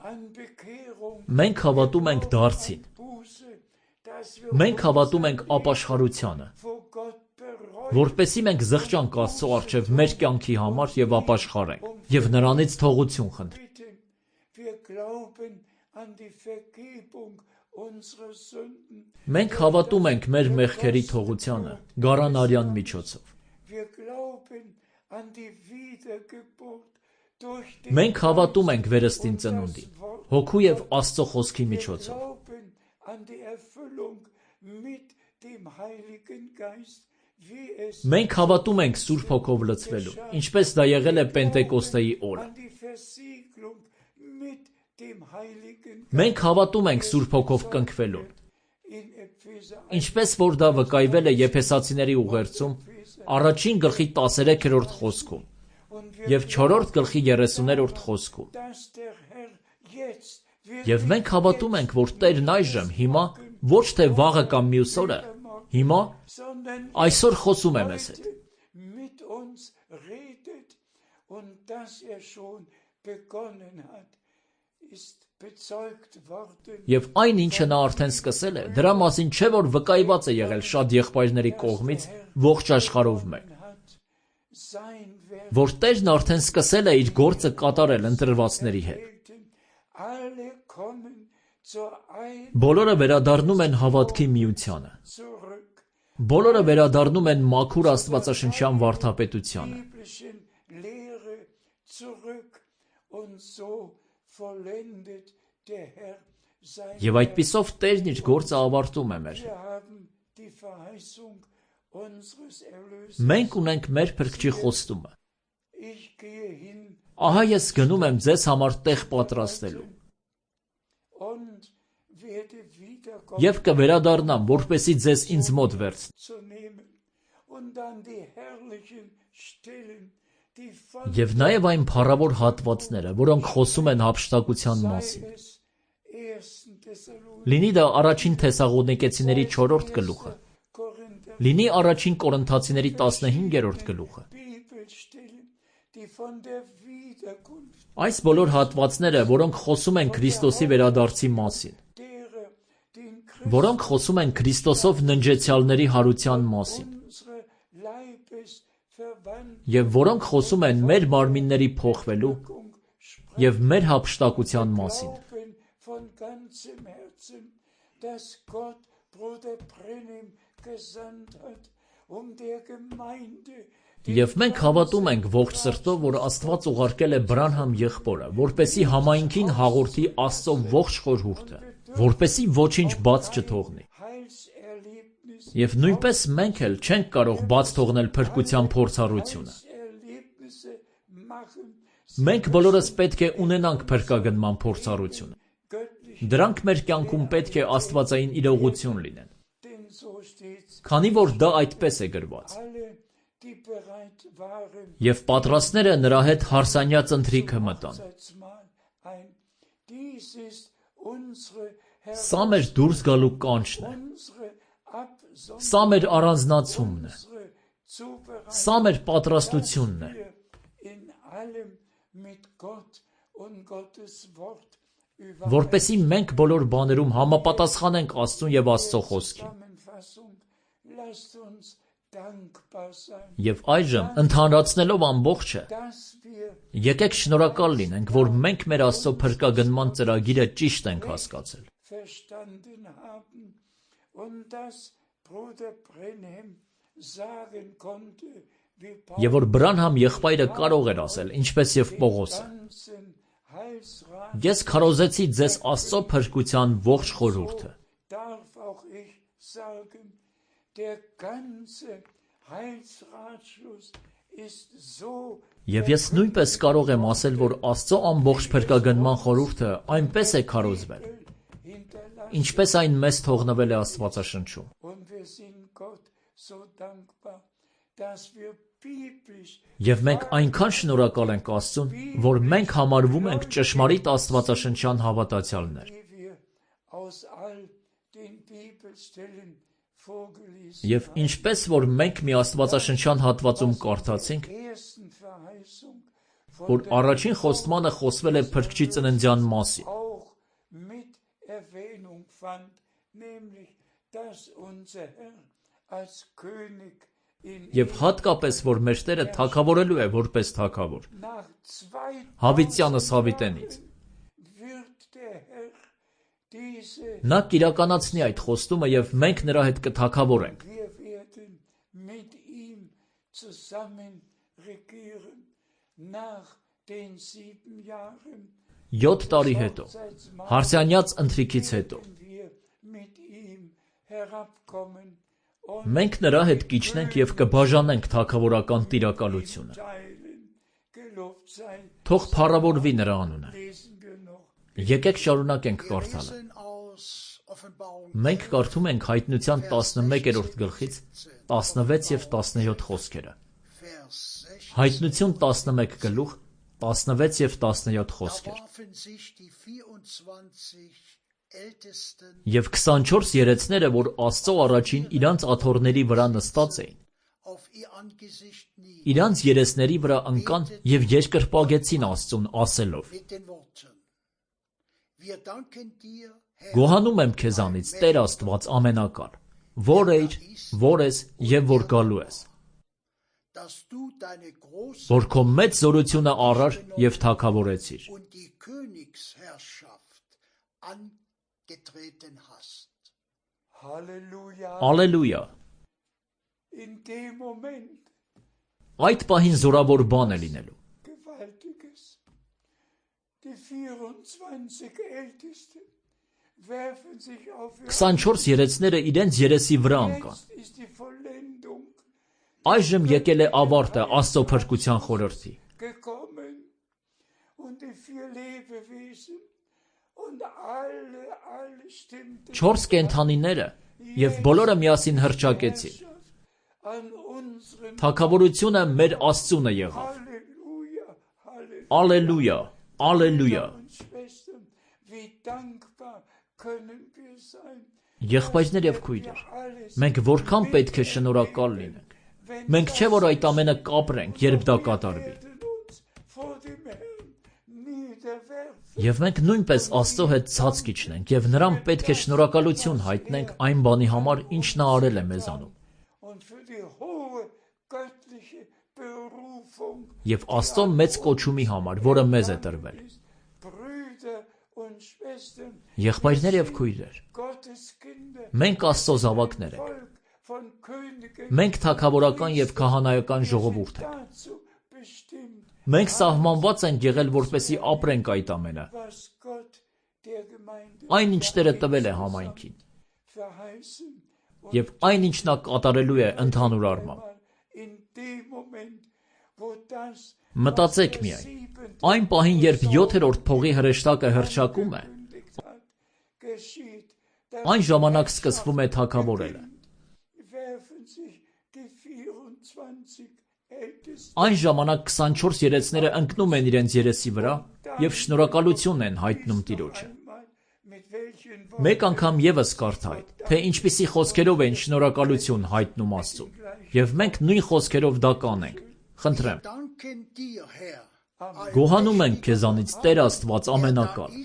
Մենք հավատում ենք դարձին։ Մենք հավատում ենք ապաշխարությանը, որպեսզի մենք զղջանք Աստծո առջև մեր կյանքի համար եւ ապաշխարենք, եւ նրանից թողություն խնդրենք։ Մենք հավատում ենք մեր մեղքերի թողությանը գարանարյան միջոցով։ Մենք հավատում ենք վերստին ծնունդին, հոգու եւ Աստծո խոսքի միջոցով։ Մենք հավատում ենք Սուրբ Հոգով լցվելուն, ինչպես դա եղել է Պենտեկոստեի օրը։ Մենք հավատում ենք Սուրբ Հոգով կնքվելուն, ինչպես որ դա վկայվել է Եփեսացիների ուղերձում առաջին գլխի տասներեքերորդ խոսքում եւ չորրորդ գլխի երեսուներորդ խոսքում։ Եվ մենք հավատում ենք, որ Տերն այժմ հիմա ոչ թե վաղը կամ մյուս օրը, հիմա այսօր խոսում է մեզ հետ։ Եվ այն, ինչը նա արդեն սկսել է, դրա մասին չէ, որ վկայված է եղել շատ եղբայրների կողմից ողջ աշխարհով մեկ, որ Տերն արդեն սկսել է իր գործը կատարել ընտրվածների հետ։ Բոլորը վերադառնում են հավատքի միությանը։ Բոլորը վերադառնում են մաքուր աստվածաշնչյան վարդապետությանը։ Եվ այդպիսով Տերն իր գործը ավարտում է մեր հետ։ Մենք ունենք մեր Փրկչի խոստումը։ Ահա ես գնում եմ ձեզ համար տեղ պատրաստելու։ Եվ կվերադառնամ, որպեսզի ձեզ ինձ մոտ վերցնեմ։ Եվ նաև այն փառավոր հատվածները, որոնք խոսում են հափշտակության մասին։ Լինի դա առաջին Թեսաղոնիկեցիների չորրորդ գլուխը, լինի առաջին Կորինթացիների տասնհինգերորդ գլուխը։ Այս բոլոր հատվածները, որոնք խոսում են Քրիստոսի վերադարձի մասին, որոնք խոսում են Քրիստոսով ննջեցյալների հարության մասին, եւ որոնք խոսում են մեր մարմինների փոխվելու եւ մեր հափշտակության մասին։ Եվ մենք հավատում ենք ողջ սրտով, որ Աստված ուղարկել է Բրանհամ եղբորը, որպեսզի համայնքին հաղորդի Աստծո ողջ խորհուրդը, որպեսզի ոչինչ բաց չթողնի։ Եվ նույնպես մենք էլ չենք կարող բաց թողնել փրկության փորձառությունը։ Մենք բոլորս պետք է ունենանք փրկագնման փորձառությունը։ Դրանք մեր կյանքում պետք է աստվածային իրողություն լինեն։ Քանի որ դա այդպես է գրված։ Եվ պատրաստները նրա հետ հարսանյաց ընթրիքը մտան։ Սա մեր դուրս գալու կանչն է։ Սա մեր առանձնացումն է։ Սա մեր պատրաստությունն է։ Որպեսզի մենք բոլոր բաներում համապատասխանենք Աստծուն եւ Աստծո խոսքին։ Եվ այժմ, ընդհանրացնելով ամբողջը, եկեք շնորհակալ լինենք, որ մենք մեր Աստծո փրկագնման ծրագիրը ճիշտ ենք հասկացել։ Եվ որ Բրանհամ եղբայրը կարող էր ասել, ինչպես եւ Պողոսը. Ես քարոզեցի ձեզ Աստծո փրկության ողջ խորհուրդը։ Եվ ես նույնպես կարող եմ ասել, որ Աստծո ամբողջ փրկագնման խորհուրդը այնպես է քարոզվել, ինչպես այն մեզ թողնվել է Աստվածաշնչում։ Եվ մենք այնքան շնորհակալ ենք Աստծուն, որ մենք համարվում ենք ճշմարիտ աստվածաշնչյան հավատացյալներ։ Եվ ինչպես որ մենք մի աստվածաշնչյան հատվածում կարդացինք, որ առաջին խոստմանը խոսվել է Փրկչի ծննդյան մասին, Եվ հատկապես, որ մեր Տերը թագավորելու է որպես թագավոր։ Հավիտյանս հավիտենից։ Նա կիրականացնի այդ խոստումը և մենք նրա հետ կթագավորենք։ Յոթ տարի հետո, հարսյանյաց ընթրիքից հետո, մենք նրա հետ կիջնենք և կբաժանենք թագավորական տիրակալությունը։ Թող փառավորվի նրա անունը։ Եկեք շարունակենք կարդալը։ Մենք կարդում ենք Հայտնության տասնմեկերորդ գլխից տասնվեց և տասնյոթ խոսքերը։ Հայտնություն տասնմեկ գլուխ, տասնվեց և տասնյոթ խոսքեր։ Եվ քսանչորս երեցները, որ Աստծո առաջին իրանց աթոռների վրա նստած էին, իրանց երեսների վրա ընկան և երկրպագեցին Աստծուն ասելով. Գոհանում եմ քեզանից, Տեր Աստված ամենակալ, որ էիր, որ ես և որ գալու ես, որ քո մեծ զորությունը առար և թագավորեցիր։ Ալելույա։ Այդ պահին զորավոր բան է լինելու։ քսանչորս երեցները իրենց երեսի վրա ընկան։ Այժմ եկել է ավարտը Աստծո փրկության խորհրդի։ Չորս կենդանիները և բոլորը միասին հռչակեցին. Թագավորությունը մեր Աստծունը եղավ։ Ալելույա, ալելույա։ Եղբայրներ և քույրեր, մենք որքան պետք է շնորհակալ լինենք։ Մենք չէ որ այդ ամենը կապրենք, երբ դա կատարվի։ Եվ մենք նույնպես Աստծո հետ ցած կիջնենք և նրան պետք է շնորհակալություն հայտնենք այն բանի համար, ինչ նա արել է մեզանում։ Եվ Աստծո մեծ կոչումի համար, որը մեզ է տրվել։ Եղբայրներ և քույրեր, մենք Աստծո զավակներ ենք։ Մենք թագավորական և քահանայական ժողովուրդ ենք։ Մենք սահմանված ենք եղել, որպեսզի ապրենք այդ ամենը։ Այն, ինչ Տերը տվել է համայնքին։ Եվ այն, ինչ նա կատարելու է ընդհանուր առմամբ։ Մտածեք միայն, այն պահին, երբ յոթերորդ փողի հրեշտակը հռչակում է, այն ժամանակ սկսվում է թագավորելը։ Այն ժամանակ քսանչորս երեցները ընկնում են իրենց երեսի վրա և շնորհակալություն են հայտնում Տիրոջը։ Մեկ անգամ ևս կարդա այդ, թե ինչպիսի խոսքերով են շնորհակալություն հայտնում Աստծուն, և մենք նույն խոսքերով դա կանենք։ Խնդրեմ։ Գոհանում ենք քեզանից, Տեր Աստված ամենակալ,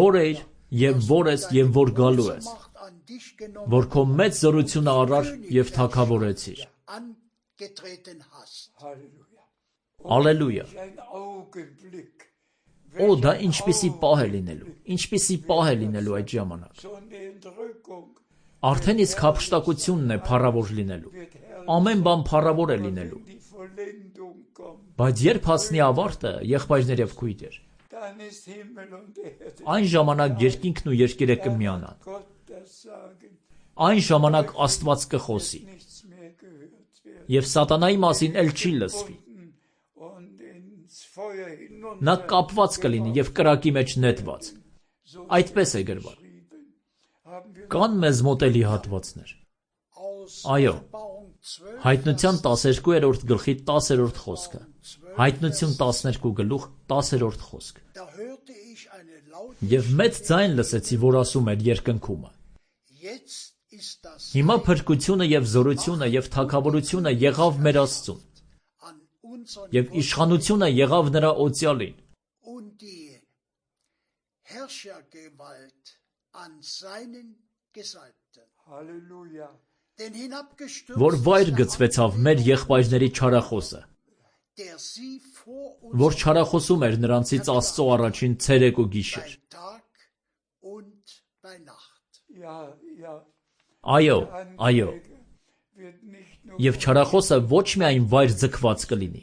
որ էիր և որ ես և որ գալու ես, որ քո մեծ զորությունը առար և թագավորեցիր։ Ալելույա։ Օ, դա ինչպիսի պահ է լինելու, ինչպիսի պահ է լինելու այդ ժամանակ։ Արդեն իսկ հափշտակությունն է փառավոր լինելու։ Ամեն բան փառավոր է լինելու։ Բայց երբ հասնի ավարտը, եղբայրներ և քույրեր, այն ժամանակ երկինքն ու երկիրը կմիանան։ Այն ժամանակ Աստված կխոսի։ Եվ սատանայի մասին էլ չի լսվի։ Նա կապված կլինի և կրակի մեջ նետված։ Այդպես է գրված։ Կան մեզ մոտ էլի հատվածներ։ Այո, Հայտնության տասներկուերորդ գլխի տասերորդ խոսքը, Հայտնություն տասներկու գլուխ տասերորդ խոսք։ Եվ մեծ ձայն լսեցի, որ ասում էր երկնքումը. Հիմա փրկությունը և զորությունը և թագավորությունը եղավ մեր Աստծուն, և իշխանությունը եղավ նրա օծյալին։ denn որ hinabgestürzt վայր ist der գցվեցավ մեր եղբայրների չարախոսը, der sie vor որ uns չարախոսում էր նրանցից Աստծո առաջին ցերեկ ու գիշեր։ bei Tag und bei Nacht. Ja, ja, Այո, այո, wird nicht nur եւ չարախոսը ոչ միայն վայր ձգված կլինի,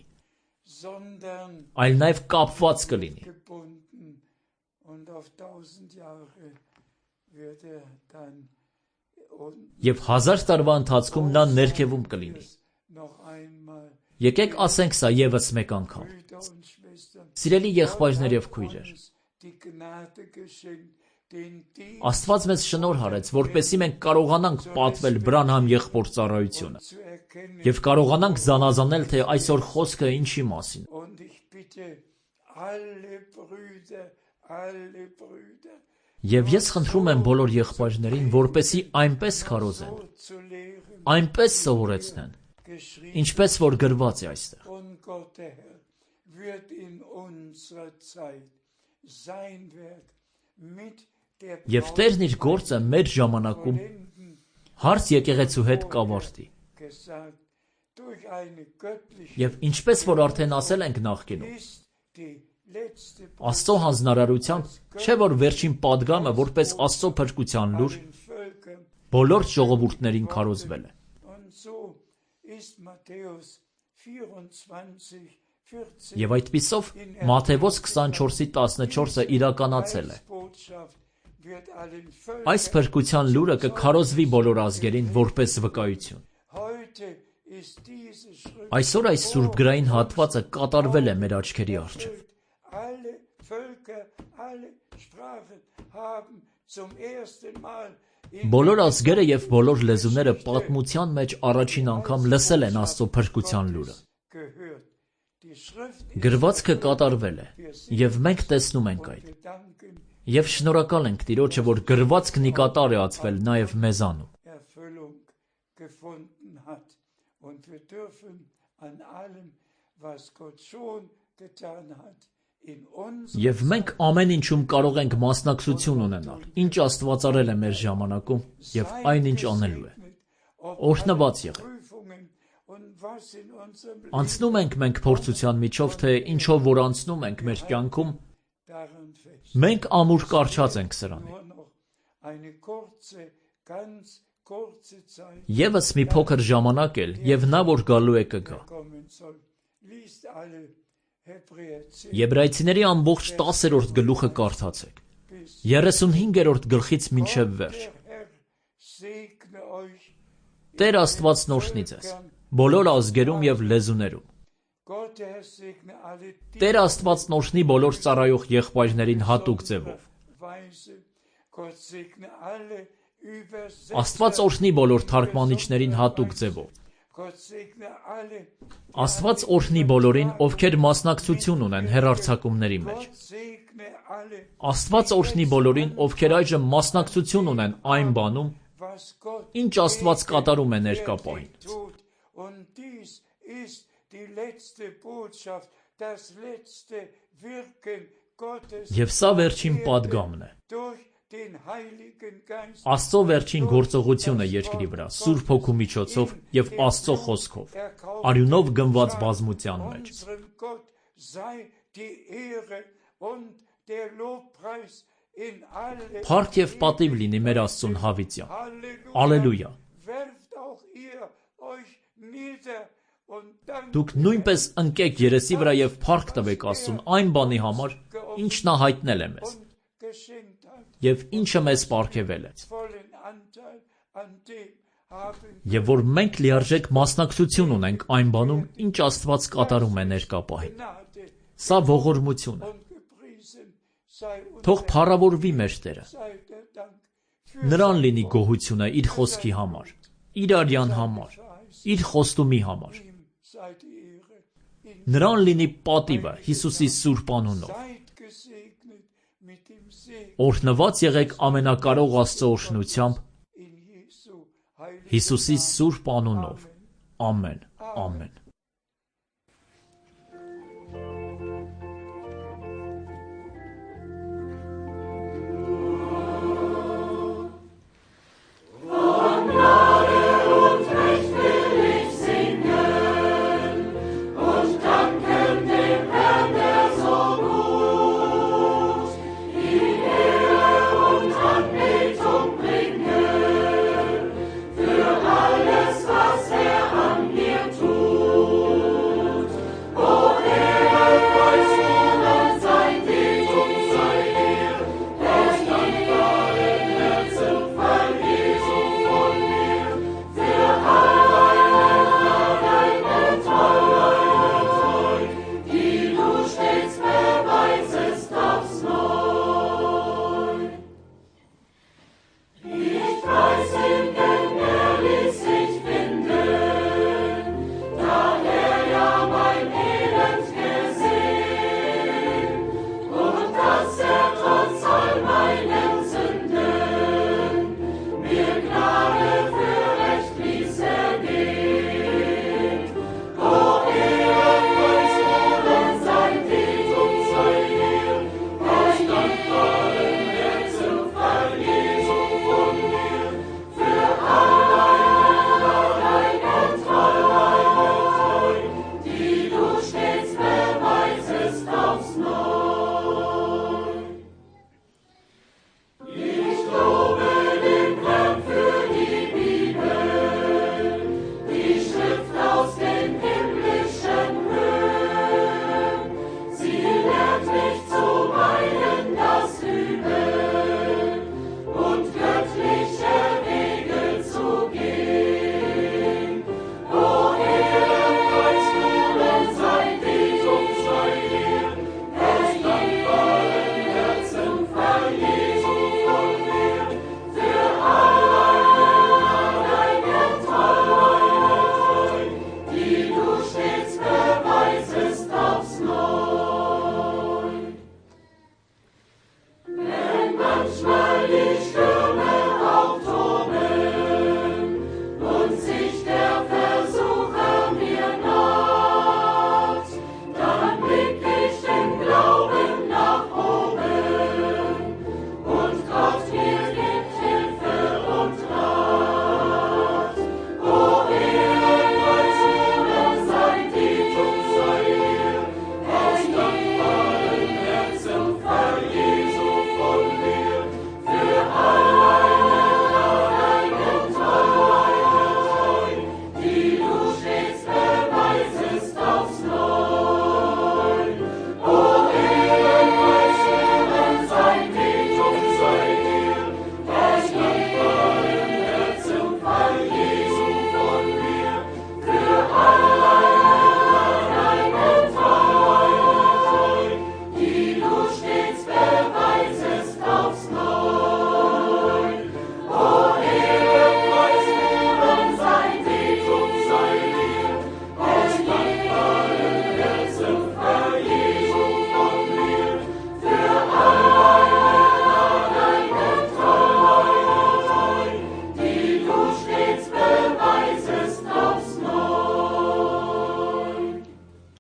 sondern այլ նաեւ կապված կլինի, gebunden und auf tausend Jahre wird er dann und եւ հազար տարվա ընթացքում նա ներքևում կլինի։ noch einmal Եկեք ասենք սա եւս մեկ անգամ։ Brüder und Schwestern, Սիրելի եղբայրներ եւ քույրեր, uns die Gnade geschenkt, den Dienst Աստված մեզ շնորհ արեց, որպեսզի մենք կարողանանք պատվել Բրանհամ եղբոր ծառայությունը zu erkennen. եւ կարողանանք զանազանել, թե այսօր խոսքը ինչի մասին։ Und ich bitte alle Brüder, alle Brüder, Եվ ես խնդրում եմ բոլոր եղբայրներին, որպեսզի այնպես քարոզեն, so zu lehren, այնպես սովորեցնեն, geschrieben. ինչպես որ գրված է այստեղ։ Und Gott der Herr wird in unserer Zeit sein Werk mit der Եվ Տերն իր գործը մեր ժամանակում Brautvolenden հարց եկեղեցու հետ կավարտի։ gesagt, durch eine göttliche Եվ ինչպես որ արդեն ասել ենք նախկինում, ist die letzte Աստծո հանձնարարությամբ չէ որ վերջին падգամը որպես Աստծո փրկության լուր den Völkern. բոլոր ժողովուրդներին քարոզվել է։ Und so ist Matthäus vierundzwanzig, vierzehn Եվ այդպիսով Մատթեոս քսանչորսի տասնչորսը իրականացել է։ Botschaft wird allen Völkern. Այս փրկության լուրը կքարոզվի բոլոր ազգերին որպես վկայություն։ Heute ist diese Schrift Այսօր այս սուրբգրային հատվածը կատարվել է մեր աչքերի առջև։ alle Völker, alle Sprachen haben zum ersten Mal in Բոլոր ազգերը եւ բոլոր լեզուները պատմության մեջ առաջին անգամ լսել են Աստծո փրկության լուրը։ gehört. Die Schrift Գրվածքը կատարվել է, եւ մենք տեսնում ենք այդ։ wir danken Եվ շնորհակալ ենք Տիրոջը, որ գրվածքն ի կատար է ածվել նաեւ մեզանում։ Erfüllung gefunden hat. Und wir dürfen an allem, was Gott schon getan hat, in uns Եվ մենք ամեն ինչում կարող ենք մասնակցություն ունենալ, ինչ Աստված արել է մեր ժամանակում եւ այնինչ անելու է։ Օրհնված եղեք։ Prüfungen und was in unserem Leben Անցնում ենք մենք փորձության միջով, թե ինչով որ անցնում ենք մեր կյանքում, daran fest. մենք ամուր կարճած ենք սրանի։ Nur noch eine kurze, ganz kurze Zeit Եվս մի փոքր ժամանակ էլ եւ նա որ գալու է կգա։ kommen soll. Liest alle Hebräer zehn Եբրայեցիների ամբողջ տասերորդ գլուխը կարդացեք։ երեսունհինգերորդ գլխից մինչև վերջ։ Der Herr segne euch. Տեր Աստվածն օրհնի ձեզ բոլոր ազգերում եւ լեզուներում։ Gott der Herr segne alle die Տեր Աստվածն օրհնի բոլոր ծառայող եղբայրներին հատուկ ձևով։ Weise. Gott segne alle Աստված Übersetzer. օրհնի բոլոր թարգմանիչներին հատուկ ձևով։ Gott segne alle. Աստված օրհնի բոլորին, ովքեր մասնակցություն ունեն հեռարձակումների մեջ։ Gott segne alle. Աստված օրհնի բոլորին, ովքեր այժմ մասնակցություն ունեն այն բանում, Was Gott ինչ Աստված կատարում է ներկա պահին։ tut. Und dies ist die letzte Botschaft, das letzte Wirken Gottes Եվ սա վերջին падգամն է։ durch den Heiligen Geist. Աստծո վերջին գործողությունը երկրի վրա, Սուրբ Հոգու միջոցով եւ Աստծո խոսքով, արյունով գնված բազմության մեջ։ Unserem Gott sei die Ehre und der Lobpreis in alle. Փառք եւ պատիվ լինի մեր Աստծուն հավիտյան։ Halleluja. Ալելույա։ Werft auch ihr euch nieder und dankt Դուք նույնպես ընկեք երեսի վրա եւ փառք տվեք Աստծուն այն բանի համար, ինչ նա հայտնել է մեզ und geschenkt hat. եւ ինչը մեզ պարգևել է։ Vollen Anteil an dem haben Եվ որ մենք լիարժեք մասնակցություն ունենք այն բանում, ինչ Աստված կատարում է ներկա պահին։ Gnade Սա ողորմություն է։ und gepriesen sei unser Թող փառավորվի մեր Տերը։ sei der Dank für Նրան լինի գոհությունը իր խոսքի համար, իր արյան համար, իր խոստումի համար։ ihm sei die Ehre. In Նրան լինի պատիվը Հիսուսի սուրբ անունով։ seid gesegnet mit dem Segen Օրհնված եղեք ամենակարող Աստծո օրհնությամբ in Jesu heilig. Հիսուսի սուրբ անունով։ Ամեն։ Ամեն։